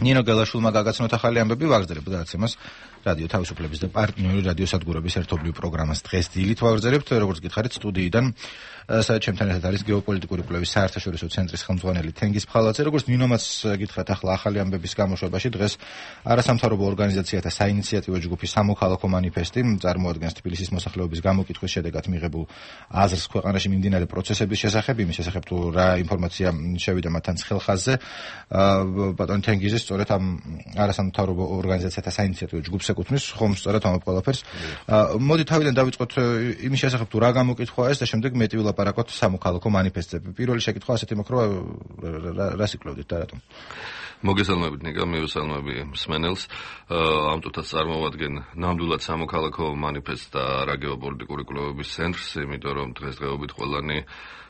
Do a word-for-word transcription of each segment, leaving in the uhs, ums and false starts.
ნინო გელაშვილმა გაგაცნოთ ახალი ამბები ვაგრძელებთ გადაცემას რადიო თავისუფლების და პარტნიორი რადიო სადგურების ერთობლივ პროგრამას დღეს დილით ვაგრძელებთ როგორც გითხარით სტუდიიდან სადაც ჩემთან ერთად არის გეოპოლიტიკური კვლევის საერთაშორისო ცენტრის ხელმძღვანელი თენგიზ ფხალაძე როგორც ნინომაც გითხრათ ახლა ახალი ამბების გამოშვებაში დღეს არასამთავრობო ორგანიზაციათა საინიციატივო ჯგუფის სამოქალაქო მანიფესტი წარმოადგენს თბილისის მოსახლეობის გამოკითხვის შედეგად მიღებულ აზრს ქვეყანაში მიმდინარე პროცესების შესახებ იმის შესახებ თუ რა ინფორმაცია შევიდა მათთან ხელხაზზე ბატონ თენგიზი სწორედ ამ არასამთავრობო ორგანიზაციათა საინიციატივო ჯგუფს ეკუთვნის ხომ სწორედ ამ ყველაფერს მოდი თავიდან დავიწყოთ იმის შესახებ თუ რა გამოკითხვაა ეს და შემდეგ მეტი ვილაპარაკოთ სამოქალაქო მანიფესტზე პირველი შეკითხვა ასეთი მოხდა რას იკვლევდით და რატომ მოგესალმებით ნიკა მივესალმები მსმენელს ამ წუთას წარმოვადგენ ნამდვილად სამოქალაქო მანიფესტს და რა გეოპოლიტიკური კვლევების ცენტრს იმიტომ რომ დღესდღეობით ყველანი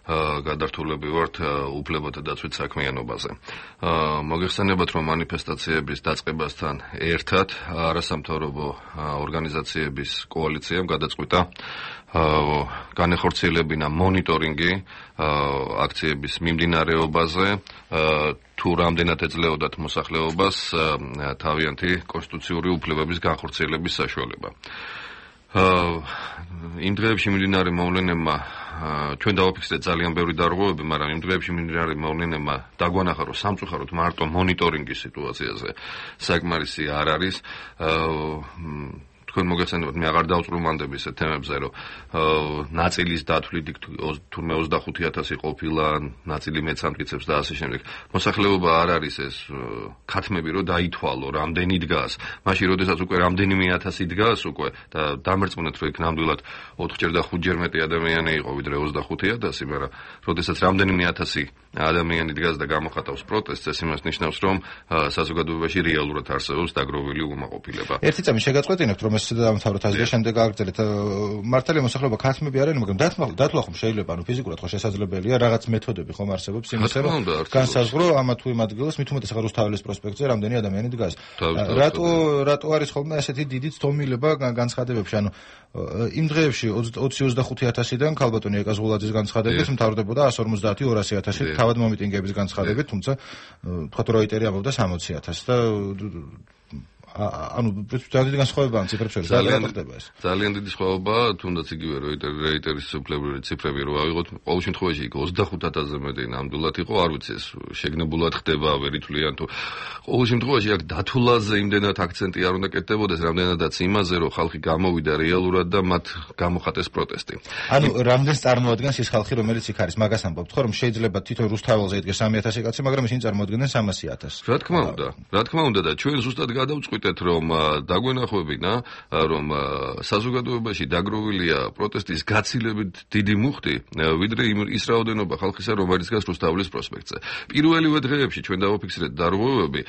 გადართულები ვართ უფლებათა დაცვით საქმიანობაზე. მოგეხსენებათ, რომ მანიფესტაციების დაწყებასთან ერთად არასამთავრობო ორგანიზაციების კოალიციამ გადაწყვიტა განეხორციელებინა მონიტორინგი აქციების მიმდინარეობაზე, თუ რამდენად ეძლეოდათ მოსახლეობას თავიანთი კონსტიტუციური უფლებების განხორციელების საშუალება. იმ დღეებში მიმდინარე მოვლენებმა ჩვენ დავაფიქსირეთ ძალიან ბევრი დარღვევები, მაგრამ იმ დღეებში მიმდინარე მოვლენებმა დაგვანახა, რომ სამწუხაროდ მარტო მონიტორინგის სიტუაციაზე საკმარისი არ არის. თქვენ მოგეხსენებათ, მე აღარ დავწრუმანდებ ისეთ თემებზე, რომ ნაწილის დათვლით თურმე ოცდახუთი ათასი ყოფილა, ნაწილი მეც ამტკიცებს და ასე შემდეგ. მოსახლეობა არ არის ეს ქათმები, რომ დაითვალო, რამდენი დგას. მაშინ, როდესაც უკვე რამდენიმე ათასი დგას უკვე და დამერწმუნეთ, რომ იქ ნამდვილად ოთხჯერ და ხუთჯერ მეტი ადამიანი იყო, ვიდრე ოცდახუთი ათასი, მაგრამ როდესაც რამდენიმე ათასი ადამიანი დგას და გამოხატავს პროტესტს, ეს იმას ნიშნავს, რომ საზოგადოებაში რეალურად არსებობს დაგროვილი უკმაყოფილება. ერთი წამი შეგაწყვეტინებთ, რომ ეს დამთავროთ ასე და შემდეგ გააგრძელეთ. მართალია მოსახლეობა ქათმები არიან, მაგრამ დათვლა ხომ შეიძლება, ანუ ფიზიკურად ხო შესაძლებელია, რაღაც მეთოდები ხომ არსებობს იმისა, რომ განსაზღვრო ამა თუ იმ ადგილას, მით უმეტეს ახლა რუსთაველის პროსპექტზე რამდენი ადამიანი დგას. რატო რატო არის ხოლმე ასეთი დიდი ცდომილება განცხადებებში? ანუ იმ დღეებში ოცი ოცდახუთი ათასიდან ქალბატონი ეკაზღულაძის განცხადებით მთავრდებოდა ასი ორმოცდაათი ორასი ათასი თავად მომიტინგეების განცხადებით, თუმცა თქვა რომ როიტერი ამბობდა სამოცი ათასს და ანუ პრინციპად დიდი განსხვავება ამ ციფრებს შორის ძალიან ხდება ეს. ძალიან დიდი სხვაობა, თუნდაც იგივე რეიტერის უფლებრივი ციფრები რო ავიღოთ, ყოველ შემთხვევაში იქ ოცდახუთ ათასზე მეტი ნამდვილად იყო, არ ვიცი ეს შეგნებულად ხდება, ვერ ითვლიან თუ ყოველ შემთხვევაში აქ დათვლაზე იმდენად აქცენტი არ უნდა კეთდებოდეს, რამდენადაც იმაზე, რომ ხალხი გამოვიდა რეალურად და მათ გამოხატეს პროტესტი. ანუ რამდენს წარმოადგენს ის ხალხი, რომელიც იქ არის? მაგას ამბობთ ხო, რომ შეიძლება თვითონ რუსთაველზე იდგეს სამი ათასი კაცი, მაგრამ ისინი წარმოადგენენ სამასი ათასს. რა თქმა უნდა, რა თქმა უნდა და ჩვენ ზუსტად გადავწყვიტეთ რომ დაგვენახებინა რომ საზოგადოებაში დაგროვილია პროტესტის გაცილებით დიდი მუხტი ვიდრე ის რაოდენობა ხალხისა რომელიც დგას რუსთაველის პროსპექტზე. პირველივე დღეებში ჩვენ დავაფიქსირეთ დარღვევები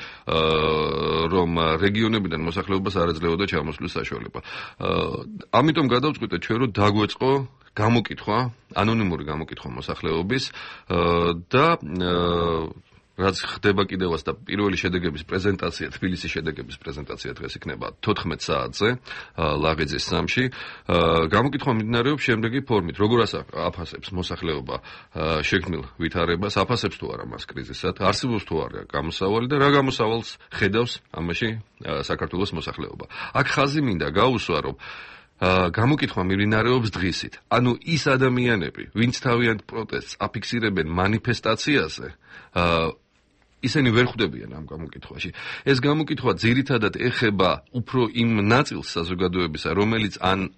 რომ რეგიონებიდან მოსახლეობას არ ეძლეოდა ჩამოსვლის საშუალება. ამიტომ გადავწყვიტეთ ჩვენ რომ დაგვეწყო გამოკითხვა, ანონიმური გამოკითხვა მოსახლეობის და რაც ხდება კიდევაც და პირველი შედეგების პრეზენტაცია, თბილისის შედეგების პრეზენტაცია დღეს იქნება თოთხმეტ საათზე ლაღიძის სამში. გამოკითხვა მიმდინარეობს შემდეგი ფორმით. როგორ აფასებს მოსახლეობა შექმნილ ვითარებას, აფასებს თუ არა მას კრიზისად, არსებობს თუ არა გამოსავალი და რა გამოსავალს ხედავს ამაში საქართველოს მოსახლეობა. აქ ხაზი მინდა გაუსვა, რომ გამოკითხვა მიმდინარეობს დღისით. ანუ ის ადამიანები, ვინც თავიანთ პროტესტს აფიქსირებენ მანიფესტაციაზე, ისინი ვერ ხვდებიან ამ გამოკითხვაში. ეს გამოკითხვა ძირითადად ეხება უფრო იმ ნაწილს საზოგადოებისა, რომელიც ან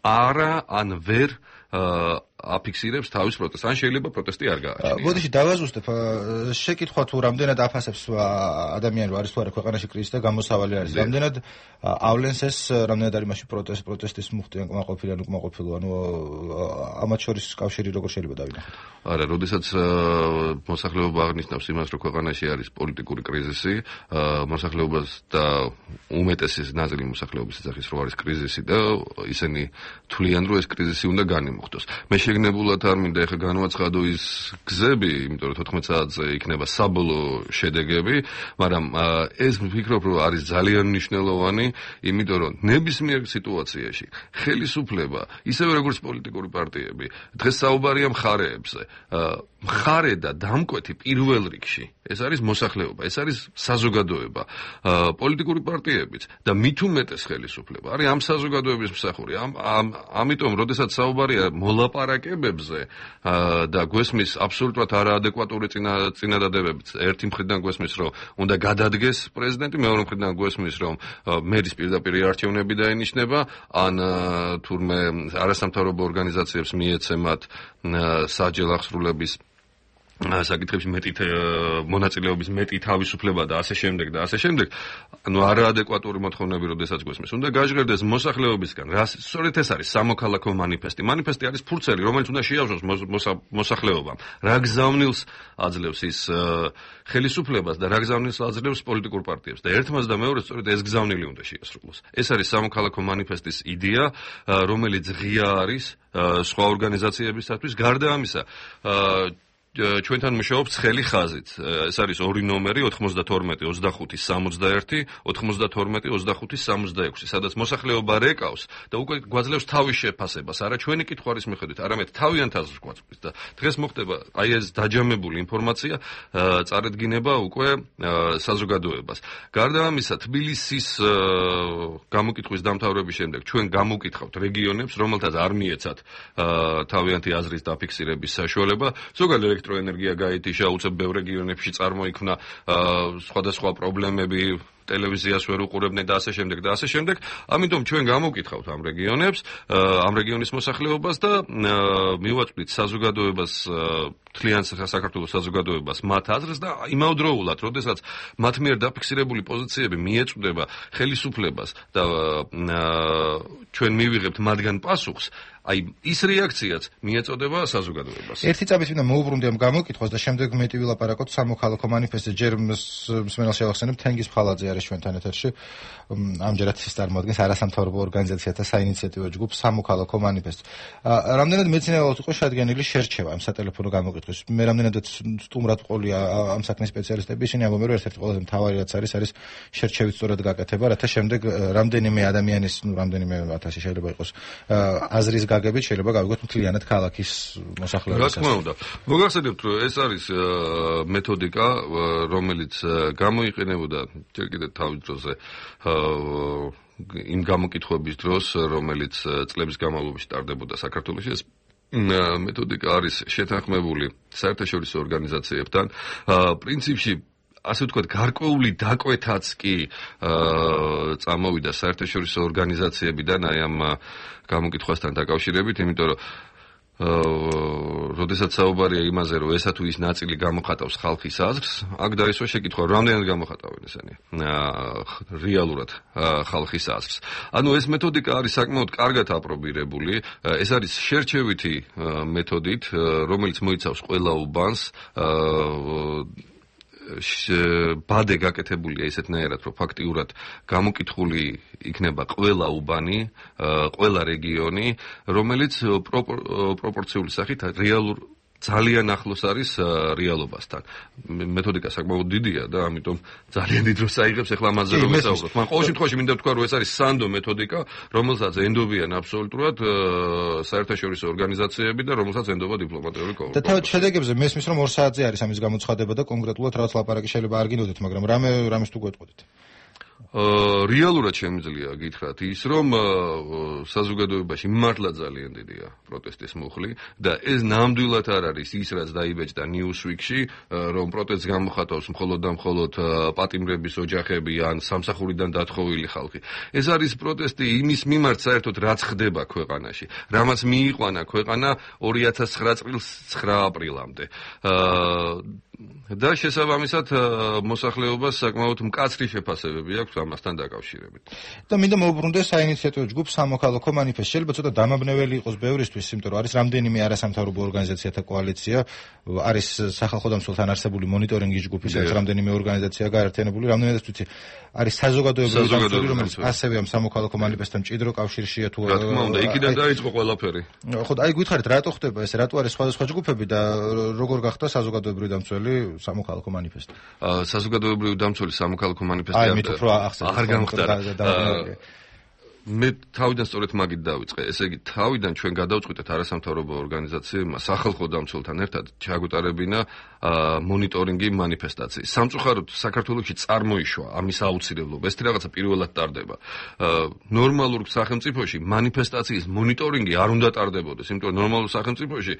არა, ან ვერ აფიქსირებს თავის პროტესტს. ან შეიძლება პროტესტი არ გააჩნია. მოდიში დავაზუსტებ. შეკითხვა თუ რამდენად აფასებს ადამიანი არის თუ არა ქვეყანაში კრიზისი და გამოსავალი არის. რამდენად ავლენს ეს, რამდენად არის მასში პროტესტ, პროტესტის მუხტი ან კმაყოფილი ან უკმაყოფილო, ანუ ამათ შორის კავშირი როგორ შეიძლება დავინახოთ? არა, როდესაც მოსახლეობა აღნიშნავს იმას, რომ ქვეყანაში არის პოლიტიკური კრიზისი, მოსახლეობას და უმეტესი ნაწილი მოსახლეობის ეძახის, რომ არის კრიზისი და ისინი თვლიან, რომ ეს კრიზისი უნდა განიმუხტოს. მე შეგნებულად არ მინდა ეხლა განვაცხადო ის გზები, იმიტომ რომ თოთხმეტ საათზე იქნება საბოლოო შედეგები, მაგრამ ეს ვფიქრობ, რომ არის ძალიან მნიშვნელოვანი, იმიტომ რომ ნებისმიერ სიტუაციაში ხელისუფლება, ისევე როგორც პოლიტიკური პარტიები, დღეს საუბარია მხარეებზე. მხარე და დამკვეთი პირველ რიგში ეს არის მოსახლეობა, ეს არის საზოგადოება, პოლიტიკური პარტიებიც და მით უმეტეს ხელისუფლება არის ამ საზოგადოების მსახური. ამიტომ, როდესაც საუბარია მოლაპარაკებებზე და გვესმის აბსოლუტურად არაადეკვატური წინადადებებით, ერთი მხრიდან გვესმის, რომ უნდა გადადგეს პრეზიდენტი, მეორე მხრიდან გვესმის, რომ მერის პირდაპირ არჩევნები დაენიშნება, ან თურმე არასამთავრობო ორგანიზაციებს მიეცემათ საჯელ აღსრულების საკითხებში მეტი მონაწილეობის მეტი თავისუფლება და ასე შემდეგ და ასე შემდეგ, ანუ არაადეკვატური მოთხოვნები როდესაც გვესმის. უნდა გაჟღერდეს მოსახლეობისგან, რა სწორედ ეს არის სამოქალაქო манифеסטי. манифеסטי არის ფურცელი, რომელიც უნდა შეავსოს მოსახლეობამ. რა გზავნილს აძლევს ის ხელისუფლებას და რა გზავნილს აძლევს პოლიტიკურ პარტიებს. და ერთმანეთს და მეორეს სწორედ ეს გზავნილი უნდა შეასრულოს. ეს არის სამოქალაქო манифеסטის იდეა, რომელიც ღია არის სხვა ორგანიზაციებისათვის. გარდა ამისა, ჩვენთან მუშაობს ცხელი ხაზით. ეს არის ორი ნომერი ოთხმოცდათორმეტი ოცდახუთი სამოცდაერთი ოთხმოცდათორმეტი ოცდახუთი სამოცდაექვსი, სადაც მოსახლეობა რეკავს და უკვე გვაძლევს თავის შეფასებას, არა ჩვენი კითხვარის მიხედვით, არამედ თავიანთ აზრს გვაწვდის და დღეს მოხდება აი ეს დაჯამებული ინფორმაცია წარედგინება უკვე საზოგადოებას. გარდა ამისა, თბილისის გამოკითხვის დამთავრების შემდეგ ჩვენ გამოვკითხავთ რეგიონებს, რომელთაც არ მიეცათ თავიანთი აზრის დაფიქსირების საშუალება. ზოგადად ელექტროენერგია გაითიშა, უცებ ბევრ რეგიონებში წარმოიქმნა სხვადასხვა პრობლემები, ტელევიზიას ვერ უყურებდნენ და ასე შემდეგ და ასე შემდეგ. ამიტომ ჩვენ გამოვკითხავთ ამ რეგიონებს, ამ რეგიონის მოსახლეობას და მივაწვდით საზოგადოებას, მთლიან საქართველოს საზოგადოებას მათ აზრს და იმავდროულად, როდესაც მათ მიერ დაფიქსირებული პოზიციები მიეწვდება ხელისუფლებას და ჩვენ მივიღებთ მათგან პასუხს, აი ის რეაქციაც მიეწოდება საზოგადოებას. ერთი წამის წინ მოუბრუნდი ამ გამოკითხვას და შემდეგ მეტი ვილაპარაკოთ სამოქალაქო манифеסטზე. ჯერ მსმენელს შევახსენებ, თენგიზ ფხალაძე არის ჩვენთან ეთერში. ამჯერად ის წარმოადგენს არასამთავრობო ორგანიზაციათა საინიციატივო ჯგუფ სამოქალაქო манифеסט. რამდენად მეცნიერულად იყო შედგენილი შერჩევა ამ სატელეფონო გამოკითხვის. მე რამდენადაც სტუმრად ყოლია ამ საქმის სპეციალისტები, ისინი ამბობენ, რომ ერთ-ერთი ყველაზე მთავარი რაც არის, არის შერჩევის სწორად გაკეთება, რათა შემდეგ რამდენიმე ადამიანის, ნუ რამდენიმე ათასი შეიძლება იყოს აზრის გაგებით შეიძლება გავიგოთ მთლიანად ქალაქის მოსახლეობის. რა თქმა უნდა. მოგახსენებთ, რომ ეს არის მეთოდიკა, რომელიც გამოიყენებოდა ჯერ კიდევ თავის დროზე იმ გამოკითხვების დროს, რომელიც წლების განმავლობაში ტარდებოდა საქართველოში. ეს მეთოდიკა არის შეთანხმებული საერთაშორისო ორგანიზაციებთან. პრინციპში ასე ვთქვათ, გარკვეული დაკვეთაც კი წამოვიდა საერთაშორისო ორგანიზაციებიდან აი ამ გამოკითხვასთან დაკავშირებით, იმიტომ რომ როდესაც საუბარია იმაზე, რომ ესა თუ ის ნაწილი გამოხატავს ხალხის აზრს, აქ დაისვა შეკითხვა, რამდენად გამოხატავენ ესენი რეალურად ხალხის აზრს. ანუ ეს მეთოდიკა არის საკმაოდ კარგად აპრობირებული, ეს არის შერჩევითი მეთოდით, რომელიც მოიცავს ყველა უბანს, ბადე გაკეთებულია ისეთნაირად, რომ ფაქტიურად გამოკითხული იქნება ყველა უბანი, ყველა რეგიონი, რომელიც პროპორციული სახით რეალურ ძალიან ახლოს არის რეალობასთან. მეთოდიკა საკმაოდ დიდია და ამიტომ ძალიან დიდ დროს აიღებს ახლა ამაზე რომ ვისაუბროთ. მაგრამ ყოველ შემთხვევაში მინდა ვთქვა, რომ ეს არის სანდო მეთოდიკა, რომელსაც ენდობიან აბსოლუტურად საერთაშორისო ორგანიზაციები და რომელსაც ენდობა დიპლომატიური კორპუსი. და თავად შედეგებზე მესმის, რომ ორ საათზე არის ამის გამოცხადება და კონკრეტულად რაღაც ლაპარაკი შეიძლება არ გინდოდეთ, მაგრამ რამე რამეს თუ გვეტყოდით? რეალურად შემიძლია გითხრათ ის, რომ საზოგადოებაში მართლა ძალიან დიდია პროტესტის მუხლი და ეს ნამდვილად არ არის ის, რაც დაიბეჭდა Newsweek-ში, რომ პროტესტს გამოხატავს მხოლოდ და მხოლოდ პატიმრების ოჯახები ან სამსახურიდან დათხოვილი ხალხი. ეს არის პროტესტი იმის მიმართ საერთოდ, რაც ხდება ქვეყანაში, რამაც მიიყვანა ქვეყანა ორი ათას ცხრა წლის ცხრა აპრილამდე. და შესაბამისად მოსახლეობას საკმაოდ მკაცრი შეფასებები აქვს ამასთან დაკავშირებით. და მინდა მოვუბრუნდე საინიციატივო ჯგუფ სამოქალაქო მანიფესტი. შეიძლება ცოტა დამაბნეველი იყოს ბევრისთვის, იმიტომ რომ არის რამდენიმე არასამთავრობო ორგანიზაციათა კოალიცია, არის სახალხო დამცველთან არსებული მონიტორინგის ჯგუფი, სადაც რამდენიმე ორგანიზაცია გაერთიანებული, რამდენადაც ვიცი, არის საზოგადოებრივი დამცველი, რომელიც ასევე ამ სამოქალაქო მანიფესტთან მჭიდრო კავშირშია თუ რა თქმა უნდა, იქიდან დაიწყო ყველაფერი. ხო, აი გითხარით, რატო ხდება ეს, რატო არის სხვადასხვა ჯგუფები და როგორ გახდა საზოგადოებრივი დამცველი სამოქალაქო მანიფესტი? საზოგადოებრივი დამცველი სამოქალაქო მანიფესტი აი, მით უფრო ახსენეთ. არ გამხდარა. მე თავიდან სწორედ მაგით დავიწყე. ესე იგი, თავიდან ჩვენ გადავწყვიტეთ არასამთავრობო ორგანიზაციებმა სახალხო დამცველთან ერთად ჩაგვეტარებინა მონიტორინგი მანიფესტაციის. სამწუხაროდ საქართველოში წარმოიშვა ამის აუცილებლობა. ეს რაღაცა პირველად ტარდება. ნორმალურ სახელმწიფოში მანიფესტაციის მონიტორინგი არ უნდა ტარდებოდეს, იმიტომ რომ ნორმალურ სახელმწიფოში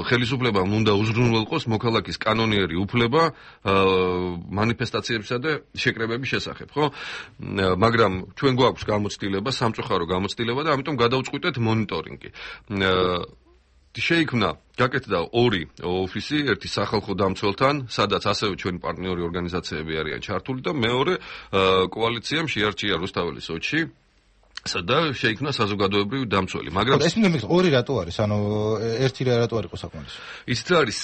ხელისუფლებამ უნდა უზრუნველყოს მოქალაქის კანონიერი უფლება მანიფესტაციებსა და შეკრებების შესახებ, ხო? მაგრამ ჩვენ გვაქვს გამოცდილება, სამწუხარო გამოცდილება და ამიტომ გადავწყვიტეთ მონიტორინგი. შეიქმნა, გაკეთდა ორი ოფისი, ერთი სახალხო დამცველთან, სადაც ასევე ჩვენი პარტნიორი ორგანიზაციები არიან ჩართული და მეორე კოალიციამ შეარჩია რუსთაველის ოცში. და შეიქმნა საზოგადოებრივი დამცველი, მაგრამ ეს მინდა მეკითხო, ორი რატო არის? ანუ ერთი რატო არ იყო საკმარისი? ისიც არის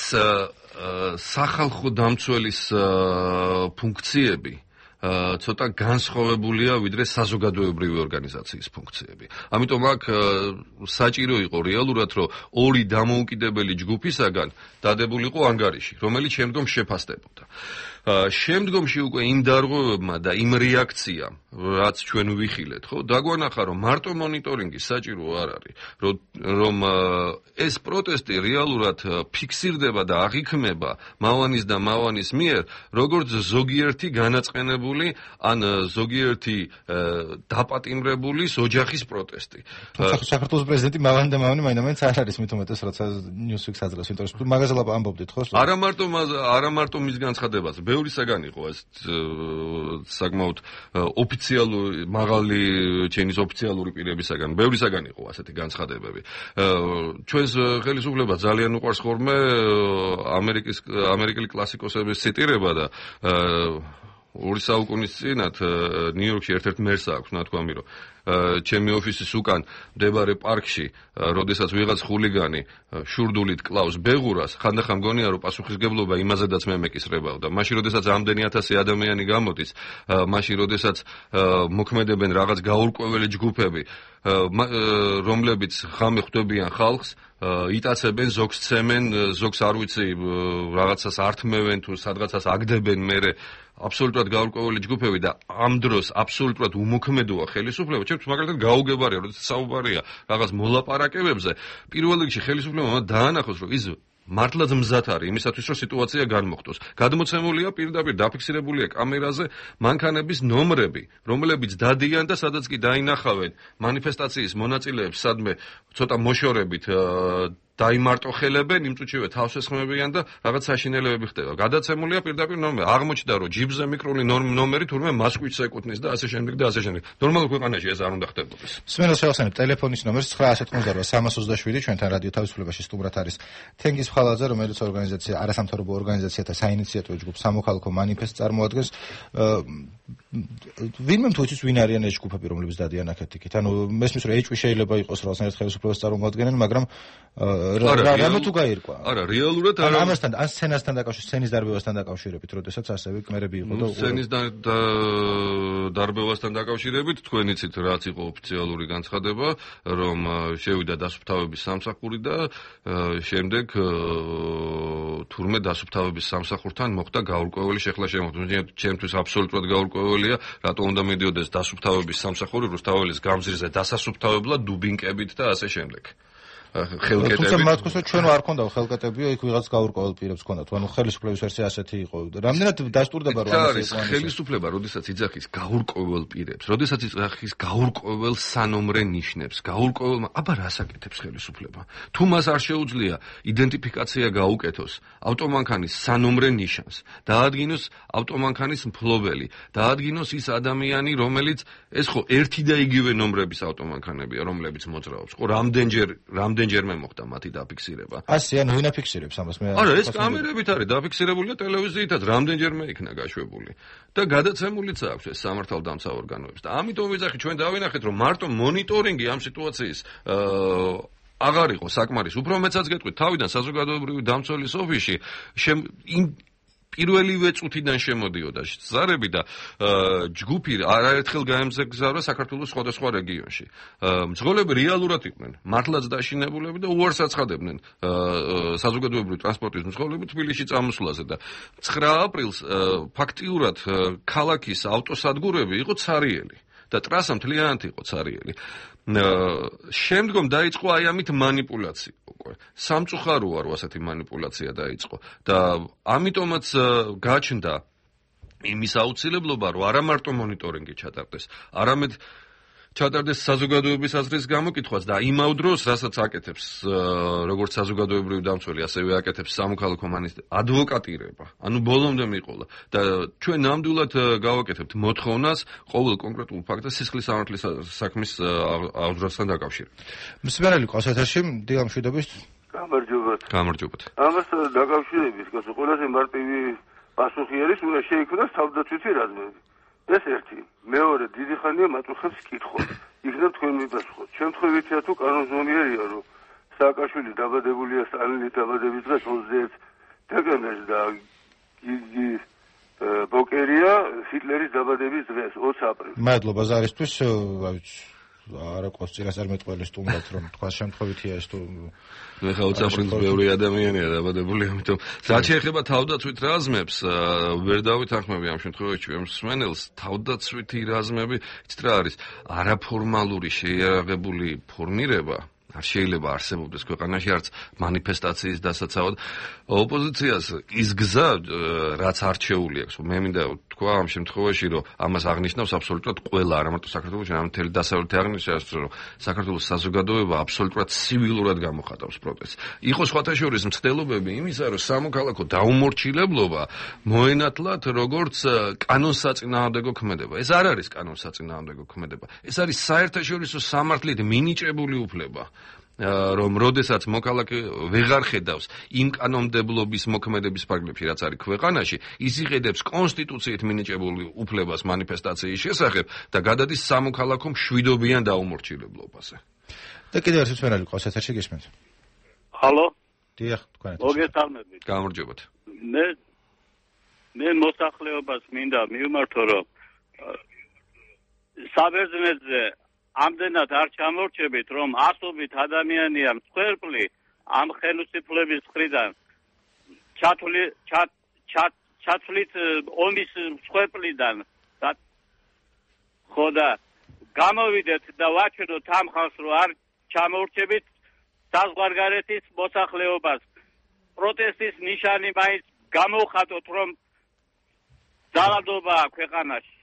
სახალხო დამცველის ფუნქციები ცოტა განსხვავებულია ვიდრე საზოგადოებრივი ორგანიზაციის ფუნქციები. ამიტომ აქ საჭირო იყო რეალურად, რომ ორი დამოუკიდებელი ჯგუფისაგან დადებულიყო ანგარიში, რომელიც შემდგომ შეფასდებოდა. შემდგომში უკვე იმ დარღვევებმა და იმ რეაქციამ, რაც ჩვენ ვიხილეთ, ხო, დაგვანახა, რომ მარტო მონიტორინგი საჭირო არ არის, რომ ეს პროტესტი რეალურად ფიქსირდება და აღიქმება მავანის და მავანის მიერ, როგორც ზოგიერთი განაწყენებული ან ზოგიერთი დაპატიმრებულის ოჯახის პროტესტი. საქართველოს პრეზიდენტი მავანი და მავანი მაინც არ არის მით უმეტეს, როცა ნიუსვიქს აძლევს, იმიტომ რომ მაგაზე ამბობდით, ხო? არა მარტო არა მარტო მის განცხადებაზე, ბევრი საგან იყო ეს საკმაოდ ოფიციალური მაღალი ჩენის ოფიციალური პირებისაგან, ბევრი საგან იყო ასეთი განცხადებები. ჩვენს ხელისუფლებას ძალიან უყვარს ხოლმე ამერიკის ამერიკელი კლასიკოსების ციტირება და ორი საუკუნის წინათ ნიუ-იორკში ერთ-ერთ მერს აქვს ნათქვამი, რომ ჩემი ოფისის უკან მდებარე პარკში, როდესაც ვიღაც ხულიგანი შურდულით კლავს ბეღურას, ხანდახან მგონია, რომ პასუხისგებლობა იმაზედაც მე მეკისრებავდა. მაშინ, როდესაც ამდენი ათასი ადამიანი გამოდის, მაშინ, როდესაც მოქმედებენ რაღაც გაურკვეველი ჯგუფები, რომლებიც ღამე ხვდებიან ხალხს, იტაცებენ, ზოგს ცემენ, ზოგს არ ვიცი, რაღაცას ართმევენ თუ სადღაცას აგდებენ მერე აბსოლუტურად გაურკვეველი ჯგუფები და ამ დროს აბსოლუტურად უმოქმედოა ხელისუფლება. ჩემთვის მაგალითად გაუგებარია, როდესაც საუბარია რაღაც მოლაპარაკებებზე, პირველ რიგში ხელისუფლებამ დაანახოს, რომ ის მართლაც მზად არის იმისათვის, რომ სიტუაცია განმოხტოს. გადმოცემულია პირდაპირ დაფიქსირებულია კამერაზე მანქანების ნომრები, რომლებიც დადიან და სადაც კი დაინახავენ მანიფესტაციის მონაწილეებს, სადმე ცოტა მოშორებით დაიმარტოხელებენ, იმ წუთშივე თავს ესხმებიან და რაღაც საშინელებები ხდება. გადაცემულია პირდაპირ ნომერი. აღმოჩნდა, რომ ჯიბზე მიკრული ნომერი თურმე მასკვიჩს ეკუთვნის და ასე შემდეგ და ასე შემდეგ. ნორმალურ ქვეყანაში ეს არ უნდა ხდებოდეს. სმენელს შევახსენებ ტელეფონის ნომერს ცხრა ათი ოცდაოთხ სამას ოცდაშვიდი, ჩვენთან რადიო თავისუფლებაში სტუმრად არის თენგიზ ფხალაძე, რომელიც ორგანიზაცია არასამთავრობო ორგანიზაციათა საინიციატივო ჯგუფ სამოქალაქო მანიფესტს წარმოადგენს. ვინმე თუ იცის ვინ არიან ეს ჯგუფები, რომლებიც დადიან აქეთ-იქით. ანუ მესმის რომ ეჭვი შეიძლება იყოს რაღაცნაირად ხელისუფლებას წარმოადგენენ, მაგრამ რა თუ გაირკვა? არა, რეალურად არა. ამასთან ან სცენასთან დაკავშირებით, სცენის დარბევასთან დაკავშირებით, როდესაც ასევე კმერები იყო და სცენის დარბევასთან დაკავშირებით, თქვენ იცით, რაც იყო ოფიციალური განცხადება, რომ შევიდა დასუფთავების სამსახური და შემდეგ თურმე დასუფთავების სამსახურთან მოხდა გაურკვეველი შეხლა-შემოხტვა. ჩემთვის აბსოლუტურად გაურკვეველია, რატო უნდა მიდიოდეს დასუფთავების სამსახური რუსთაველის გამზირზე დასასუფთავებლად დუბინკებით და ასე შემდეგ. ხელკეტები. თუმცა მათქოს რომ ჩვენ არ ქონდა ხელკეტებიო, იქ ვიღაც გაურკვეველ პირებს ქონდათ. ანუ ხელისუფლების ვერსია ასეთი იყო. რამდენად დასტურდება რომ ამას ხელისუფლება, როდესაც იძახის გაურკვეველ პირებს, როდესაც იძახის გაურკვეველ სანომრე ნიშნებს, გაურკვეველ, აბა რას აკეთებს ხელისუფლება? თუ მას არ შეუძლია იდენტიფიკაცია გაუკეთოს ავტომანქანის სანომრე ნიშანს, დაადგინოს ავტომანქანის მფლობელი, დაადგინოს ის ადამიანი, რომელიც ეს ხო ერთი და იგივე ნომრების ავტომანქანებია, რომლებიც მოძრაობს. ხო, რამდენჯერ რამდენ რამდენჯერმე მოხდა მათი დაფიქსირება. ასე ანუ ვინ აფიქსირებს ამას მე? არა, ეს კამერებით არის დაფიქსირებულია ტელევიზიითაც რამდენჯერმე იქნა გაშვებული და გადაცემულიც აქვს ეს სამართალდამცავ ორგანოებს და ამიტომ ვიძახი ჩვენ დავინახეთ რომ მარტო მონიტორინგი ამ სიტუაციის აღარ იყო საკმარის. უფრო მეცაც გეტყვით, თავიდან საზოგადოებრივი დამცველის ოფისში იმ პირველივე წუთიდან შემოდიოდა ზარები და ჯგუფი არაერთხელ გაემგზავრა საქართველოს სხვადასხვა რეგიონში. მძღოლები რეალურად იყვნენ მართლაც დაშინებულები და უარს აცხადებდნენ საზოგადოებრივი ტრანსპორტის მძღოლები თბილისში წამოსვლაზე და ცხრა აპრილს ფაქტიურად ქალაქის ავტოსადგურები იყო ცარიელი და ტრასა მთლიანად იყო ცარიელი. შემდგომ დაიწყო აი ამით манипуляცია უკვე. სამწუხაროა რომ ასეთი манипуляცია დაიწყო და ამიტომაც გაჩნდა იმის აუცილებლობა რომ არა მარტო მონიტორინგი ჩატარდეს, არამედ ჩატარდეს საზოგადოების აზრის გამოკითხვაც და იმავ დროს, რასაც აკეთებს როგორც საზოგადოებრივი დამცველი, ასევე აკეთებს სამოქალაქო მინისტრი ადვოკატირება. ანუ ბოლომდე მიყოლა და ჩვენ ნამდვილად გავაკეთებთ მოთხოვნას ყოველ კონკრეტულ ფაქტს სისხლის სამართლის საქმის აღძრასთან დაკავშირებით. მსმენელი ყავსათაში დილა მშვიდობის. გამარჯობათ. გამარჯობათ. ამას დაკავშირებით, გასო ყველაზე მარტივი პასუხი არის, უნდა შეიქმნას თავდაცვითი რაზმები. ეს ერთი. მეორე, დიდი ხანია მაწუხებს კითხოთ. იქნებ თქვენ მიპასუხოთ. შემთხვევითია თუ კანონზომიერია, რომ სააკაშვილი დაბადებულია სტალინის დაბადების დღეს ოცდაერთი დეკემბერს და გიგი ბოკერია ჰიტლერის დაბადების დღეს ოცი აპრილს. მადლობა ზარისთვის, არა ყავს წინასწარმეტყველის სტუმრად რომ თქვა შემთხვევითია ეს თუ მე ხა ოცი აპრილს ბევრი ადამიანია დაბადებული, ამიტომ რაც შეეხება თავდაცვით რაზმებს, ვერ დავითანხმები ამ შემთხვევაში ჩვენ მსმენელს, თავდაცვითი რაზმები, იცით რა არის, არაფორმალური შეიარაღებული ფორმირება არ შეიძლება არსებობდეს ქვეყანაში არც манифестაციის დასაცავად. ოპოზიციას ის გზა, რაც არჩეული აქვს, მე მინდა თქვა ამ შემთხვევაში, რომ ამას აღნიშნავს აბსოლუტურად ყველა, არა მარტო საქართველოში, არამედ მთელი დასავლეთი აღნიშნავს, რომ საქართველოს საზოგადოება აბსოლუტურად ცივილურად გამოხატავს პროტესტს. იყო სხვათა შორის მცდელობები იმისა, რომ სამოქალაქო დაუმორჩილებლობა მოენათლათ როგორც კანონსაწინააღმდეგო ქმედება. ეს არ არის კანონსაწინააღმდეგო ქმედება. ეს არის საერთაშორისო სამართლით მინიჭებული უფლება. რომ როდესაც მოქალაქე ვეღარ ხედავს იმ კანონმდებლობის მოქმედების ფარგლებში, რაც არის ქვეყანაში, ის იღედებს კონსტიტუციით მინიჭებული უფლებას манифестაციის შესახებ და გადადის სამოქალაქო მშვიდობიან დაუმორჩილებლობაზე. და კიდევ ერთი მსმენელი ყავს ეთერში, გისმენთ? ჰალო? დიახ, თქვენ. მოგესალმებით. გამარჯობათ. მე მე მოსახლეობას მინდა მივმართო, რომ საბერძნეთზე ამდენად არ ჩამორჩებით, რომ ასობით ადამიანია მსხვერპლი ამ ხელისუფლების მხრიდან ჩათვლი ჩათვლით ომის მსხვერპლიდან ხო და გამოვიდეთ და ვაჩვენოთ ამ ხალხს, რომ არ ჩამორჩებით საზღვარგარეთის მოსახლეობას. პროტესტის ნიშანი მაინც გამოვხატოთ, რომ ძალადობაა ქვეყანაში.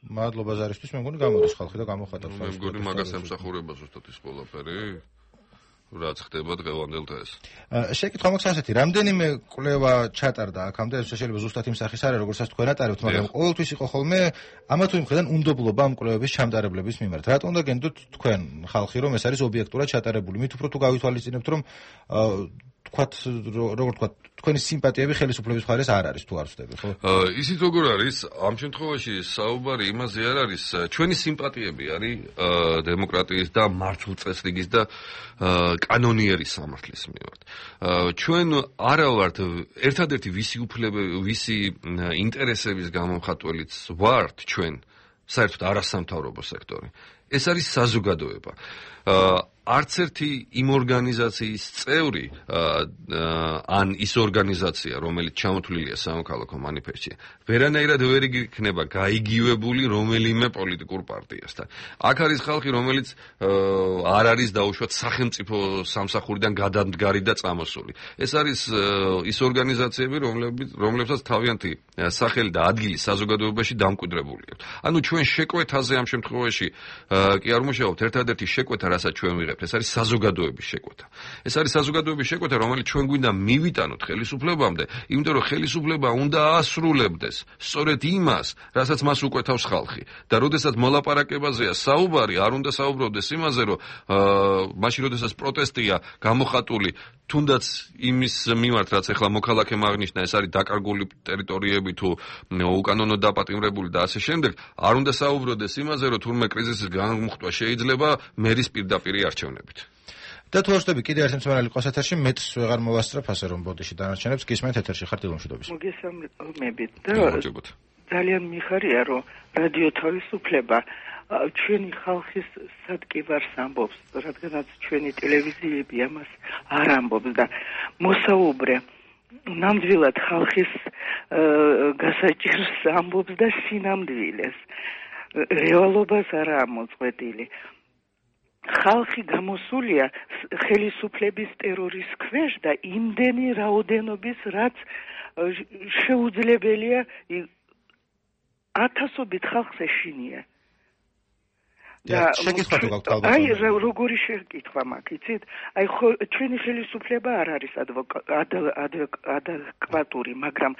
მადლობა ზარისთვის, მე მგონი გამოდის ხალხი და გამოხატავს. მე მგონი მაგას ემსახურება ზუსტად ის ყველაფერი, რაც ხდება დღევანდელ დღეს. შეკითხვა მაქვს ასეთი, რამდენიმე კვლევა ჩატარდა აქამდე, შეიძლება ზუსტად იმ სახის არა, როგორცაც თქვენ ატარებთ, მაგრამ ყოველთვის იყო ხოლმე ამა თუ იმ მხრიდან უნდობლობა ამ კვლევების ჩამტარებლების მიმართ. რატომ უნდა გენდოთ თქვენ ხალხი, რომ ეს არის ობიექტურად ჩატარებული? მით უფრო თუ გავითვალისწინებთ, რომ თქვათ, როგორ თქვათ, თქვენი სიმპათიები ხელისუფლების მხარეს არ არის თუ არ ვწდები, ხო? ისიც როგორ არის, ამ შემთხვევაში საუბარი იმაზე არ არის, ჩვენი სიმპათიები არის დემოკრატიის და მართლწესრიგის და კანონიერი სამართლის მიმართ. ჩვენ არა ვართ ერთადერთი ვისი უფლებები, ვისი ინტერესების გამომხატველიც ვართ ჩვენ, საერთოდ არასამთავრობო სექტორი. ეს არის საზოგადოება. არც ერთი იმ ორგანიზაციის წევრი ან ის ორგანიზაცია, რომელიც ჩამოთვლილია სამოქალაქო манифестში, ვერანაირად ვერ იქნება გაიგივებული რომელიმე პოლიტიკურ პარტიასთან. აქ არის ხალხი, რომელიც არ არის დაუშვათ სახელმწიფო სამსახურიდან გადამდგარი და წამოსული. ეს არის ის ორგანიზაციები, რომლებსაც თავიანთი სახელი და ადგილი საზოგადოებაში დამკვიდრებული აქვს. ანუ ჩვენ შეკვეთაზე ამ შემთხვევაში კი არ მუშაობთ, ერთადერთი შეკვეთა, რასაც ჩვენ ვიღებთ, ეს არის საზოგადოების შეკვეთა. ეს არის საზოგადოების შეკვეთა, რომელიც ჩვენ გვინდა მივიტანოთ ხელისუფლებამდე, იმიტომ რომ ხელისუფლება უნდა ასრულებდეს სწორედ იმას, რასაც მას უკვეთავს ხალხი. და როდესაც მოლაპარაკებაზეა საუბარი, არ უნდა საუბრობდეს იმაზე, რომ მაშინ როდესაც პროტესტია გამოხატული თუნდაც იმის მიმართ, რაც ახლა მოქალაქემ აღნიშნა, ეს არის დაკარგული ტერიტორიები თუ უკანონო დაპატიმრებული და ასე შემდეგ, არ უნდა საუბრობდეს იმაზე, რომ თურმე კრიზისის გამოხატვა შეიძლება მერის პირდაპირი არჩევნებით. და თუ ვარსდები კიდე ერთი მსმენელი ყავს ეთერში, მეც ვეღარ მოვასწრებ ასე რომ ბოდიში დანარჩენებს გისმენთ ეთერში ხართ დილომშვიდობის. მოგესალმებით და ძალიან მიხარია, რომ რადიო თავისუფლება ჩვენი ხალხის სადგევარს ამბობს, რადგანაც ჩვენი ტელევიზიები ამას არ ამბობს და მოსაუბრე ნამდვილად ხალხის გასაჭირს ამბობს და სინამდვილეს. რეალობას არაა მოწყვეტილი. ხალხი გამოსულია ხელისუფლების ტერორის ქვეშ და იმდენი რაოდენობის, რაც შეუძლებელია ათასობით ხალხს ეშინია. შეკითხვა თუ გაქვთ ალბათ. აი როგორი შეკითხვა მაქვს, იცით? აი ხო ჩვენი ხელისუფლება არ არის ადეკვატური, მაგრამ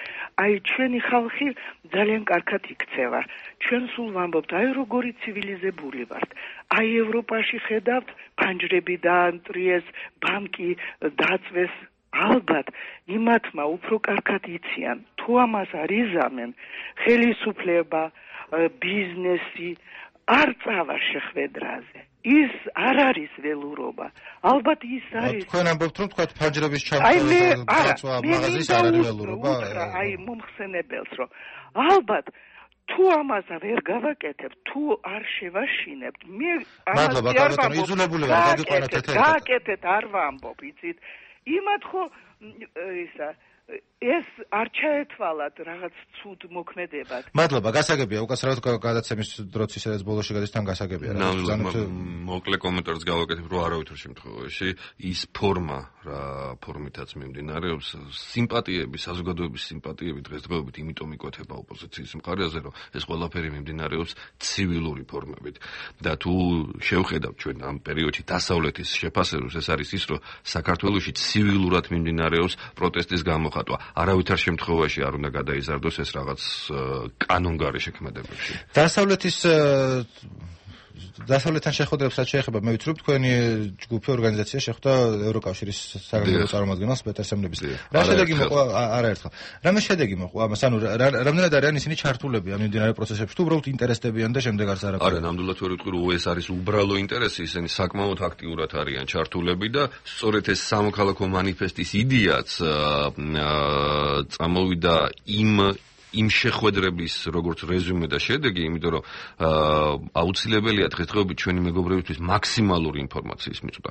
აი ჩვენი ხალხი ძალიან კარგად იქცევა. ჩვენ სულ ვამბობთ, აი როგორი ცივილიზებული ვართ. აი ევროპაში ხედავთ, ფანჯრები დაანტრიეს, ბანკი დაწვეს. ალბათ იმათმა უფრო კარგად იციან, თუ ამას არ იზამენ, ხელისუფლება, ბიზნესი არ წავა შეხვედრაზე. ის არ არის ველურობა. ალბათ ის არის. თქვენ ამბობთ, რომ თქვა ფანჯრების ჩამწვა მაღაზიის არ არის ველურობა. აი მომხსენებელს, რომ ალბათ თუ ამას ვერ გავაკეთებთ, თუ არ შევაშინებთ, მე ამას არ ვამბობ. იძულებული ვარ გაგიყვანოთ ეთერში. გააკეთეთ, არ ვამბობ, იცით? იმათ ხო ისა ეს არ ჩაეთვალათ რაღაც ცუდ მოქმედებად. მადლობა, გასაგებია, უკაცრავად გადაცემის დროც ისედაც ბოლოში გადის თან გასაგებია. მოკლე კომენტარს გავაკეთებ, რომ არავითარ შემთხვევაში ის ფორმა, რა ფორმითაც მიმდინარეობს, სიმპათიები, საზოგადოების სიმპათიები დღესდღეობით იმიტომ იკვეთება ოპოზიციის მხარეზე, რომ ეს ყველაფერი მიმდინარეობს ცივილური ფორმებით. და თუ შევხედავთ ჩვენ ამ პერიოდში დასავლეთის შეფასებას, ეს არის ის, რომ საქართველოში ცივილურად მიმდინარეობს პროტესტის გამოხატვა. არავითარ შემთხვევაში არ უნდა გადაიზარდოს ეს რაღაც კანონგარი შექმედებებში. დასავლეთის დასავლეთთან შეხვედრებს რაც შეეხება, მე ვიცი რომ თქვენი ჯგუფი ორგანიზაცია შეხვდა ევროკავშირის საგანგებო წარმომადგენელს პეტერ სემნების. რა შედეგი მოყვა არაერთხელ? რამე შედეგი მოყვა ამას? ანუ რამდენად არიან ისინი ჩართულები ამ მიმდინარე პროცესებში? თუ უბრალოდ ინტერესდებიან და შემდეგ არც არა. არა, ნამდვილად ვერ ვიტყვი, რომ ეს არის უბრალო ინტერესი, ისინი საკმაოდ აქტიურად არიან ჩართულები და სწორედ ეს სამოქალაქო მანიფესტის იდეაც წამოვიდა იმ იმ შეხვედრების როგორც რეზუმე და შედეგი, იმიტომ რომ აუცილებელია დღესდღეობით ჩვენი მეგობრებისთვის მაქსიმალური ინფორმაციის მიწვევა.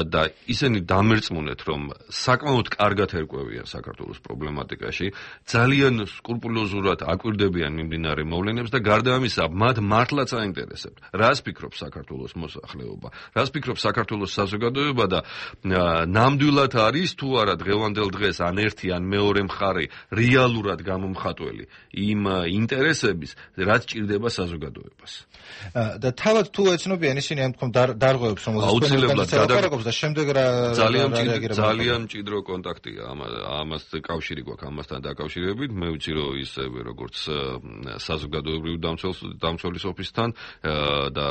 და ისინი დამერწმუნეთ, რომ საკმაოდ კარგად ერკვევიან საქართველოს პრობლემატიკაში, ძალიან სკრუპულოზურად აკვირდებიან მიმდინარე მოვლენებს და გარდა ამისა, მათ მართლაც აინტერესებთ, რას ფიქრობს საქართველოს მოსახლეობა, რას ფიქრობს საქართველოს საზოგადოება და ნამდვილად არის თუ არა დღევანდელ დღეს ან ერთი ან მეორე მხარე რეალურად გამომხატველი იმ ინტერესების, რაც ჭირდება საზოგადოებას. და თავად თუ ეცნობიან ისინი ამ თქო დარღვევებს, რომ აუცილებლად გადაგაკეთებს და შემდეგ რა ძალიან ძალიან მჭიდრო კონტაქტია ამას კავშირი გვაქვს ამასთან დაკავშირებით. მე ვიცი რომ ისევე როგორც საზოგადოებრივი დამცველის ოფისთან და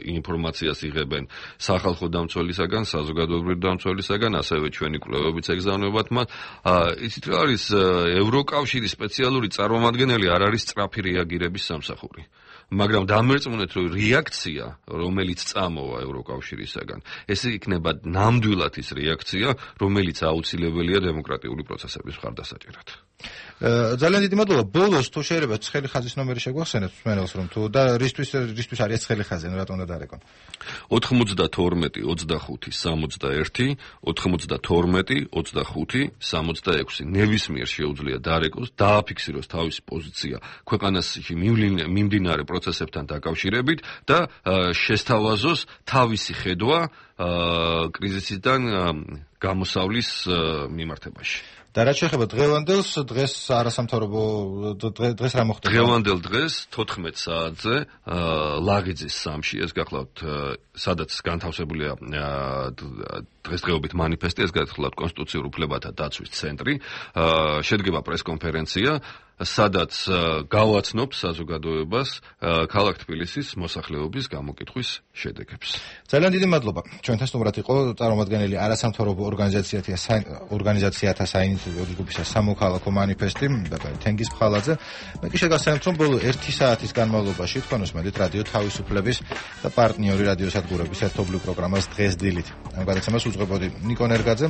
ინფორმაციას იღებენ სახალხო დამცველისაგან, საზოგადოებრივი დამცველისაგან, ასევე ჩვენი კვლევებიც ეგზავნებათ მათ. ისიც რა არის ევროკავშირის სპეციალური წარმომადგენელი არ არის სწრაფი რეაგირების სამსახური. მაგრამ დამერწმუნეთ, რომ რეაქცია, რომელიც წამოვა ევროკავშირისაგან, ეს იქნება ნამდვილად ის რეაქცია, რომელიც აუცილებელია დემოკრატიული პროცესების მხარდასაჭერად. ძალიან დიდი მადლობა. ბოლოს თუ შეიძლება ცხელი ხაზის ნომერი შეგვახსენეთ მსმენელს, რომ თუ და რისთვის რისთვის არის ცხელი ხაზი, რატომ უნდა დარეკონ? ოთხმოცდათორმეტი ოცდახუთი სამოცდაერთი, ოთხმოცდათორმეტი ოცდახუთი სამოცდაექვსი. ნებისმიერ შეუძლია დარეკოს, დააფიქსიროს თავისი პოზიცია ქვეყანაში მიმდინარე პროცესებთან დაკავშირებით და შესთავაზოს თავისი ხედვა კრიზისიდან გამოსავლის მიმართებაში. და რაც შეეხება დღევანდელს, დღეს არასამთავრობო დღეს რა მოხდა? დღევანდელ დღეს თოთხმეტ საათზე ლაღიძის სამში, ეს გახლავთ სადაც განთავსებულია დღესდღეობით მანიფესტი, ეს გახლავთ კონსტიტუციურ უფლებათა დაცვის ცენტრი, შედგება პრესკონფერენცია, სადაც გავაცნობს საზოგადოებას ქალაქ თბილისის მოსახლეობის გამოკითხვის შედეგებს. ძალიან დიდი მადლობა. ჩვენთან სტუმრად იყო წარმომადგენელი არასამთავრობო ორგანიზაციათა ორგანიზაციათა საინიციატივო ჯგუფისა სამოქალაქო მანიფესტი თენგიზ ფხალაძე. მე კი შეგახსენებთ, რომ ბოლო ერთი საათის განმავლობაში თქვენ უსმენთ რადიო თავისუფლების და პარტნიორი რადიოსადგურების ერთობლივ პროგრამას დღეს დილით. ამ გადაცემას უძღვებოდი ნიკო ნერგაძე.